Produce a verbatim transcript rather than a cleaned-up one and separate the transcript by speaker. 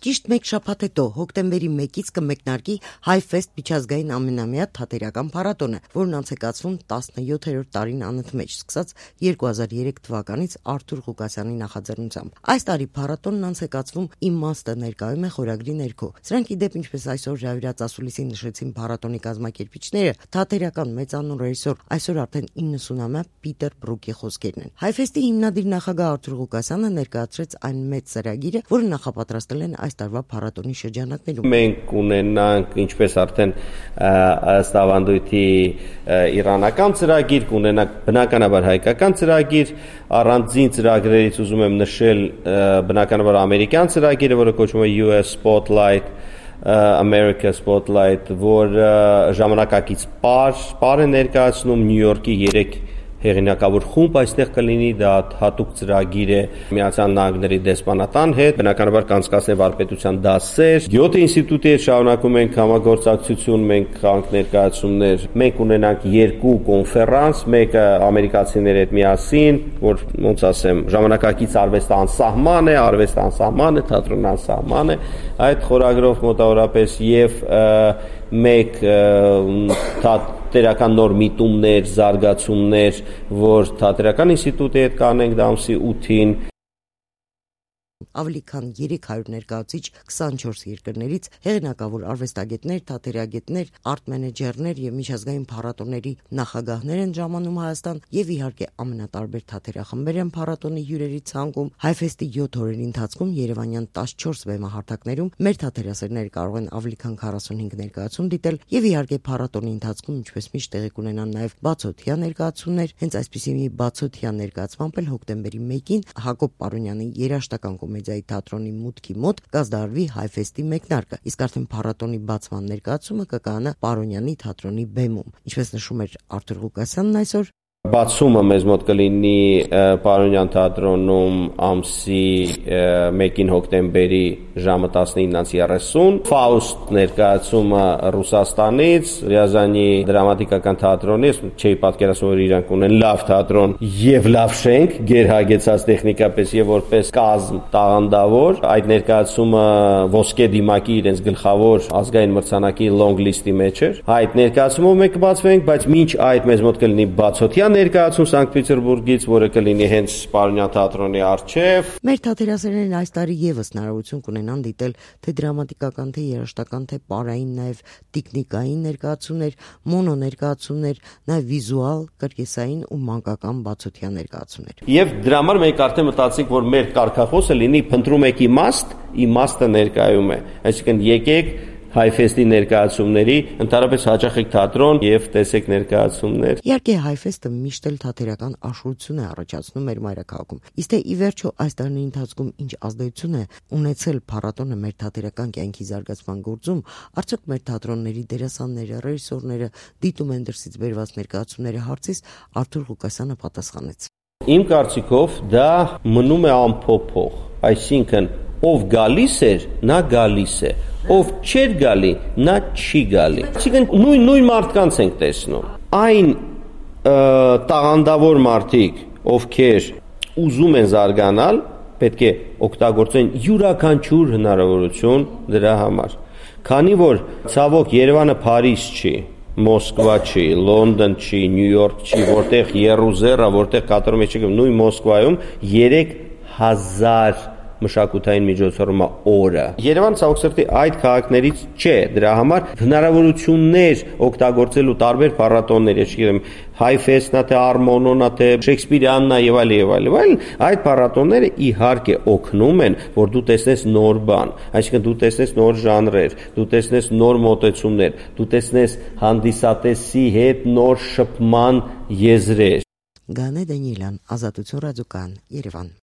Speaker 1: Ճիշտ մեկ շաբաթ հետո հոկտեմբերի մեկից կմեկնարկի HiFest միջազգային ամենամյա թատերական փառատոնը, որն անցեկացվում տասնյոթերորդ տարին անընդմեջ, սկսած երկու հազար երեք թվականից Արթուր Ղուկասյանի նախաձեռնությամբ։ Այս տարի փառատոնն անցեկացվում «Իմաստը ներկայում է» խորագրի ներքո։ Սրանք ի դեպ, ինչպես այսօր Ժավիրած ասուլիսին նշեցին փառատոնի կազմակերպիչները, թատերական մեծանուն ռեժիսոր, այսօր արդեն իննսունամյա Պիտեր Բրուկի խոսքերն են։ HiFest-ի հիմնադիր նախագահ Արթուր Ղուկասյանը ներկայացրեց այն մեծ ծրագիրը, որը նախապատրաստել են այս տարվա փառատոնի շրջանակներում։
Speaker 2: Մենք ունենանք, ինչպես արդեն ըստ ավանդույթի իրանական ծրագիր, կունենանք բնականաբար հայկական ծրագիր, առանձին ծրագրերից ուզում եմ նշել բնականաբար ամերիկյան ծրագիրը, որը կոչվում է U S Spotlight, America Spotlight, որ ժամանակակից պար, պար է ներկայացնում Նյու Յորքի երեք հեղինակավոր խումբ այստեղ կլինի, դա հատուկ ծրագիր է Միացյալ Նահանգների դեսպանատան հետ, բնականաբար կանցկացնել վարպետության դասեր, Գյոթե ինստիտուտի հետ շարունակում ենք համագործակցություն, մենք կանք ներկայացումներ, մենք ունենանք երկու կոնֆերանս, մեկը ամերիկացիների հետ միասին, որ ոնց ասեմ, ժամանակակից արվեստը անսահման է, արվեստը անսահման է, թատրոնը անսահման է, այդ խորագրով մոտավորապես եւ մեկ թատերական նոր միտումներ, զարգացումներ, որ թատերական ինստիտուտի հետ կանենք դա ամսի ութին։
Speaker 1: Ավելի քան երեք հարյուր ներկայացուցիչ քսանչորս երկրներից, հեղինակավոր արվեստագետներ, թատերագետներ, արտ-մենեջերներ եւ միջազգային փառատոների նախագահներ են ժամանում Հայաստան եւ իհարկե ամենատարբեր թատերախմբեր են փառատոնի հյուրերի ցանկում։ HiFest-ի յոթ օրերի ընթացքում Երևանյան տասնչորս բեմահարթակներում մեր թատերասերները կարող են ավելի քան քառասունհինգ ներկայացում դիտել եւ իհարկե փառատոնի ընթացքում ինչպես միշտ տեղի կունենան նաեւ բացօթյա ներկայացումներ։ Հենց այսպիսի մի բացօթյա ներկայացմամբ էլ հոկտեմբերի մեկին Հակոբ Պարոնյանի երաժշտական կոմեդիայի թատրոնի մուտքի մոտ կազդարվի HiFest-ի մեկնարկը, իսկ արդեն փառատոնի բացման ներկայացումը կկայանա Պարոնյանի թատրոնի բեմում։ Ինչպես նշում էր Արթուր Ղուկասյանն այսօր,
Speaker 2: բացումը մեզ մոտ կլինի Պարոնյան թատրոնում ամսի մեկին հոկտեմբերի ժամը տասնինից երեսուն, Ֆաուստ ներկայացումը Ռուսաստանից, Ռիազանի դրամատիկական թատրոնից, չէի պատկերացնում, որ իրանք ունեն լավ թատրոն եւ լավ շենք, գերհագեցած տեխնիկապես եւ որպես կազմ տաղանդավոր, այդ ներկայացումը ոսկե դիմակի իրենց գլխավոր ազգային մրցանակի long list-ի մեջ էր։ Այդ ներկայացումով մենք կբացվենք, բայց մինչ այդ մեզ մոտ կլինի բացօթյա ներկայացում Սանկտ Պետերբուրգից, որը կլինի հենց Պարոնյան թատրոնի առջև։
Speaker 1: Մեր թատերասերներն այս տարի եւս հնարավորություն կունենան դիտել թե դրամատիկական, թե երաժշտական, թե պարային, նաեւ տիկնիկային ներկայացումներ, մոնո ներկայացումներ, նաեւ վիզուալ, կրկեսային ու մանկական բացօթյա ներկայացումներ։
Speaker 2: Եվ դրա համար մենք արդեն մտածենք, որ մեր կարգախոսը լինի փնտրում եք իմաստ, իմաստը ներկայում է։ Այսինքն եկեք HiFest-ի ներկայացումների, ընդհանրապես հաճախեք թատրոն եւ տեսեք ներկայացումներ։
Speaker 1: Իհարկե HiFest-ը միշտ էլ թատերական աշխուժություն է առաջացնում մեր մայրաքաղաքում։ Իսկ թե ի վերջո այս տարիների ընթացքում ինչ ազդեցություն է ունեցել փառատոնը մեր թատերական կյանքի զարգացման գործում, արդյոք մեր թատրոնների դերասանները, ռեժիսորները դիտում են դրսից բերված ներկայացումների հարցից Արթուր Ղուկասյանը պատասխանեց։
Speaker 2: Իմ կարծիքով դա մնում է անփոփոխ, այսինքն ով գալիս էր, նա գալիս է, ով չէր գալի, նա չի գալի։ Այսինքն նույն նույն մարդկանց ենք տեսնում։ Այն տաղանդավոր մարդիկ, ովքեր ուզում են զարգանալ, պետք է օգտագործեն յուրաքանչյուր հնարավորություն դրա համար։ Քանի որ ցավոք Երևանը Փարիզ չի, Մոսկվա չի, Լոնդոն չի, Նյու Յորք չի, որտեղ Երուսաղեմը, որտեղ կատարում է չգիտեմ, նույն Մոսկվայում երեք հազար մշակութային միջոցառումը օրը։ Երևանը ցավոք սրտի այդ քաղաքներից չէ, դրա համար հնարավորություններ օգտագործելու տարբեր փառատոններ, չգիտեմ, HiFest-նա, թե Արմոնոնա, թե Շեքսպիրյաննա եւ այլ եւ այլ, այլ այդ փառատոնները իհարկե օգնում են, որ դու տեսնես նոր բան, այսինքն դու տեսնես նոր ժանրեր, դու տեսնես նոր մոտեցումներ, դու տեսնես հանդիսատեսի հետ նոր շփման եզրեր։
Speaker 1: Գանե Դանիելյան, Ազատություն ռադիոկայան, Երևան։